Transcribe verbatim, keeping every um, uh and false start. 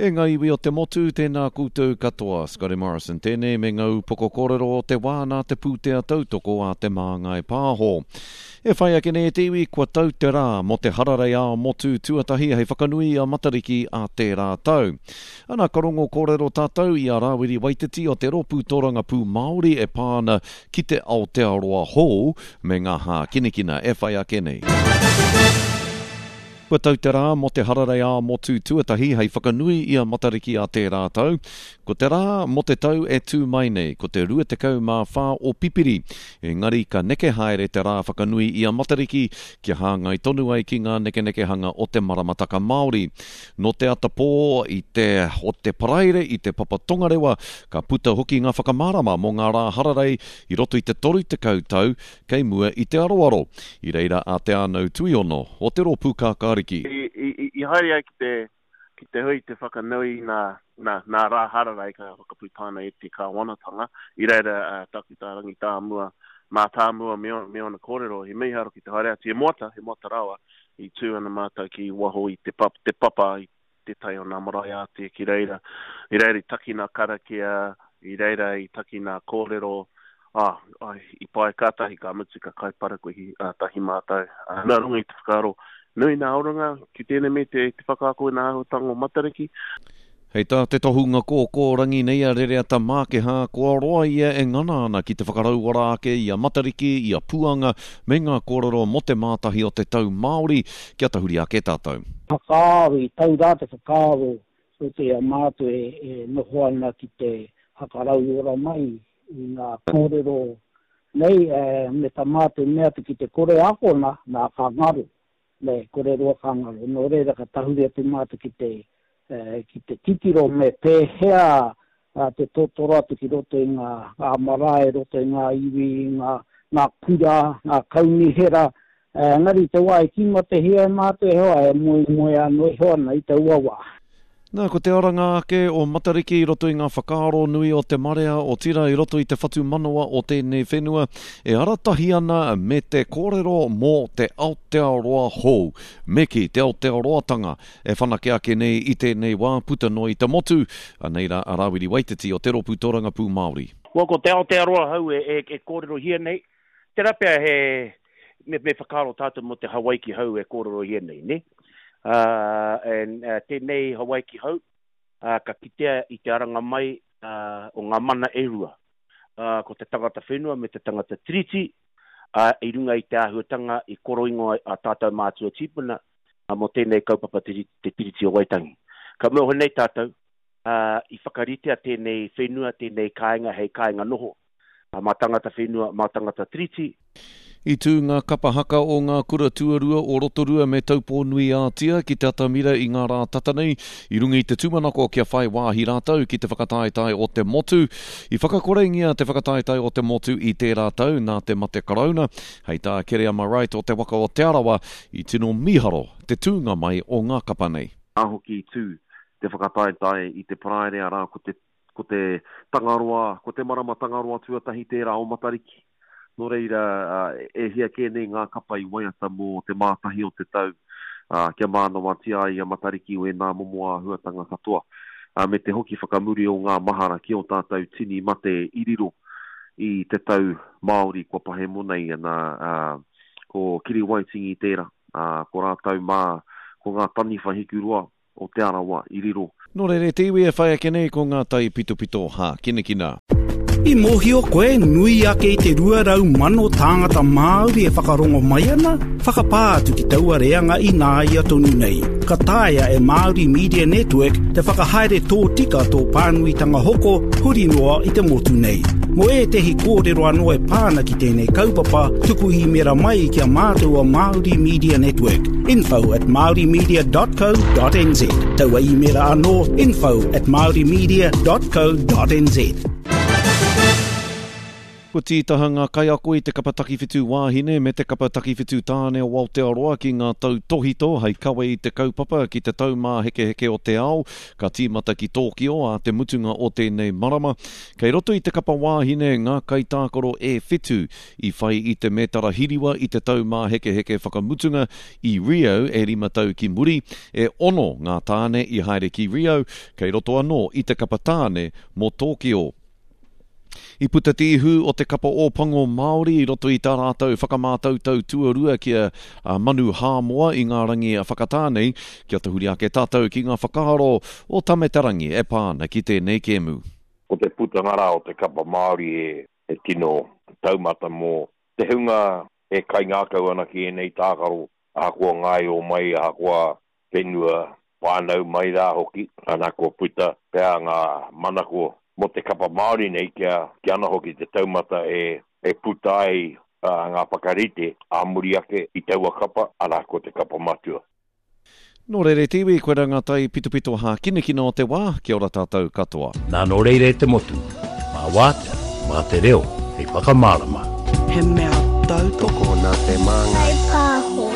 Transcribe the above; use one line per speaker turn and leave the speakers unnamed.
E ngā iwi o te motu, tēnā koutou katoa. Scotty Morrison tēnei me ngā upoko kōrero o te wā nā te pūtea tautoko a Te Māngai Pāho. E whai ake nei e te iwi, kua tau te rā mō te hararei ā-motu tuatahi hei whakanui i a Matariki a tērā tau. Ana, ka rongo kōrero tātou i a Rāwiri Waititi o te Rōpū Tōrangapū Māori e pā ana ki te Aotearoa hou me ngā hākinakina e whai ake nei. Kua tau te rā mō te hararei ā-motu tuatahi hei whakanui i a Matariki a tērā tau. Ko te rā mō te tau e tū mai nei, ko te rua tekau mā whā o Pipiri. Engari ka neke haere te rā whakanui i a Matariki kia hāngai tonu ai ki ngā nekenekehanga o te maramataka Māori. Nō te ata pō i te o te Paraire i te Papa Tongarewa ka puta hoki ngā whakamārama mō ngā rā hararei i roto i te toru tekau tau kei mua i te aroaro. I reira a Te Ānau Tuiono o te Rōpū Kākāriki.
I, i, i haere ai ki te, ki te hui te whakanui nā, nā, nā rā hararei ka whakaputaina e te kāwanatanga. I reira uh, taku tā Rangitāmua, mātāmua me, me ona kōrero, he mīharo ki te haere atu. He moata, he moata rawa, i tū ana mātou ki waho i te, pap, te papa, i te tai o nā marae ātea ki reira. I reira i taki nā karakia, i reira i taki nā kōrero, ah, ai, i pai kātahi ka mutu ka kai parakuihi uh, tahi mātou. Uh, nā runga i te whakaaro, nui nā oranga ki tēnei me te, te whakaako i nā āhuatanga o Matariki.
Hei tā te tohunga kōkōrangi nei a Rereata Mākehā, kua roa ia e ngana ana ki te whakarauora ake i a Matariki, i a Puanga, me ngā kōrero mō te mātahi o te tau Māori, kia tahuri ake tātou.
Whakaaro, i tau rā te whakaaro o te a mātou e, e noho ana ki te whakarauora mai i ngā kōrero nei, e, me tā mātou mea atu ki te kore akona, nā ka ngaro, me kore roa ka ngaro. Nō reira ka tahuri atu mātou ki te, e, ki te titiro me pēhea a, te totoro atu ki roto i ngā, ngā marae, roto i ngā iwi, ngā, ngā kura, ngā kaunihera. E, engari te wā e tīmatahia e mātou e hoa, e moe moe anō iho ana i taua wā.
Nā, ko te aranga ake o Matariki i roto i ngā whakaaro nui o te marea, otirā i roto i te whatumanawa o tēnei whenua, e aratahi ana me te kōrero mō te Aotearoa hou. Me kī, te Aotearoatanga e whanake ake nei i tēnei wā puta noa i te motu. Anei rā a Rāwiri Waititi o te Rōpū Tōrangapū Māori.
Well, ko te Aotearoa hou e, e, e kōrerohia nei, tērā pea he, me, me whakaaro tātou mō te Hawaiki hou e kōrerohia nei, ne? Uh, and, uh, tēnei Hawaiki hou, uh, ka kitea i te aranga mai uh, o ngā mana e rua. Uh, ko te tangata whenua me te tangata tiriti, uh, i runga i te āhuatanga i koroingoa a tātou mātua tīpuna uh, mō tēnei kaupapa te, te Tiriti o Waitangi. Ka mōhio nei tātou, uh, i whakaritea tēnei whenua, tēnei kāinga hei kāinga noho, uh, mā tangata whenua, mā tangata tiriti.
I tū ngā kapa haka o ngā kura tuarua o Rotorua me Taupō-nui-ā-Tia ki te atamira i ngā rā tata nei, i runga i te tūmanako kia whai wāhi rātou ki te whakataetae o te motu. I whakakorengia te whakataetae o te motu i tērā tau nā te mate karauna, hei tā Kereama Wright o te waka o Te Arawa, i tino mīharo te tūnga mai o ngā kapa nei.
Nā hoki i tū te whakataetae i te Paraire, arā, ko te, ko te Tangaroa, ko te marama Tangaroa tuatahi tērā o Matariki. Nō reira, e hia kē nei ngā kapa i waiata mō te mātahi o te tau, kia mānawatia ai a Matariki o ēnā momo āhuatanga katoa, me te hoki whakamuri o ngā mahara ki ō tātou tini mate i riro i te tau Māori kua pahemo nei, ana, ko Kiri Waitingi tērā, ko rātou mā, ko ngā taniwha hikuroa o Te Arawa i riro.
Nō reira, te iwi e whai ake nei ko ngā tai pitopito hākinakina.
I mōhio koe nui ake i te rua rau mano tāngata Māori e whakarongo mai ana, whakapā atu ki taua reanga i nāia tonu nei. Ka taea e Māori Media Network te whakahaere tōtika tō pānuitanga hoko huri noa i te motu nei. Mō ētehi kōrero anō e pāna ki tēnei kaupapa, tuku īmera mai ki a mātou o Māori Media Network. Info at maorimedia dot co dot nz. Taua īmera anō, info at maorimedia dot co dot nz.
Kua tītaha ngā kaiako i te kapa takiwhitu wāhine me te kapa takiwhitu tāne o Aotearoa ki ngā tautōhito hei kawe i te kaupapa ki te Taumāhekeheke o te Ao, ka tīmata ki Tōkio ā te mutunga o tēnei marama. Kei roto i te kapa wāhine ngā kaitākaro e whitu i whai i te mētara hiriwa i te Taumāhekeheke whakamutunga i Rio e rima tau ki muri. E ono ngā tāne i haere ki Rio, kei roto anō i te kapa tāne mō Tōkio. I puta te ihu o te kapa Ōpango Māori i roto i tā rātou whakamātautau tuarua ki a Manu Hāmoa i ngā rangi whakatā nei, kia tahuri ake tātou ki ngā whakaaro o Tame Te Rangi e pā ana ki tēnei kēmu.
Ko te putanga rā o te kapa Māori he tino taumata mō te hunga e kaingākau ana ki ēnei tākaro, ahakoa ngāio mai, ahakoa whenua whānau mai rā hoki, ana kua puta pea ngā manako mō te kapa Māori nei kia, kia ana hoki te taumata e, e puta ai uh, ngā whakarite ā muri ake i taua kapa, arā ko te kapa matua.
Nō reira te iwi, koirā ngā tai pitopito hākinakina o te wā, kia ora tātou katoa.
Nā nō reira e te motu, mā wātea, mā te reo, hei whakamārama.
He mea tautoko
Tokona te māngai.
Whai pāho.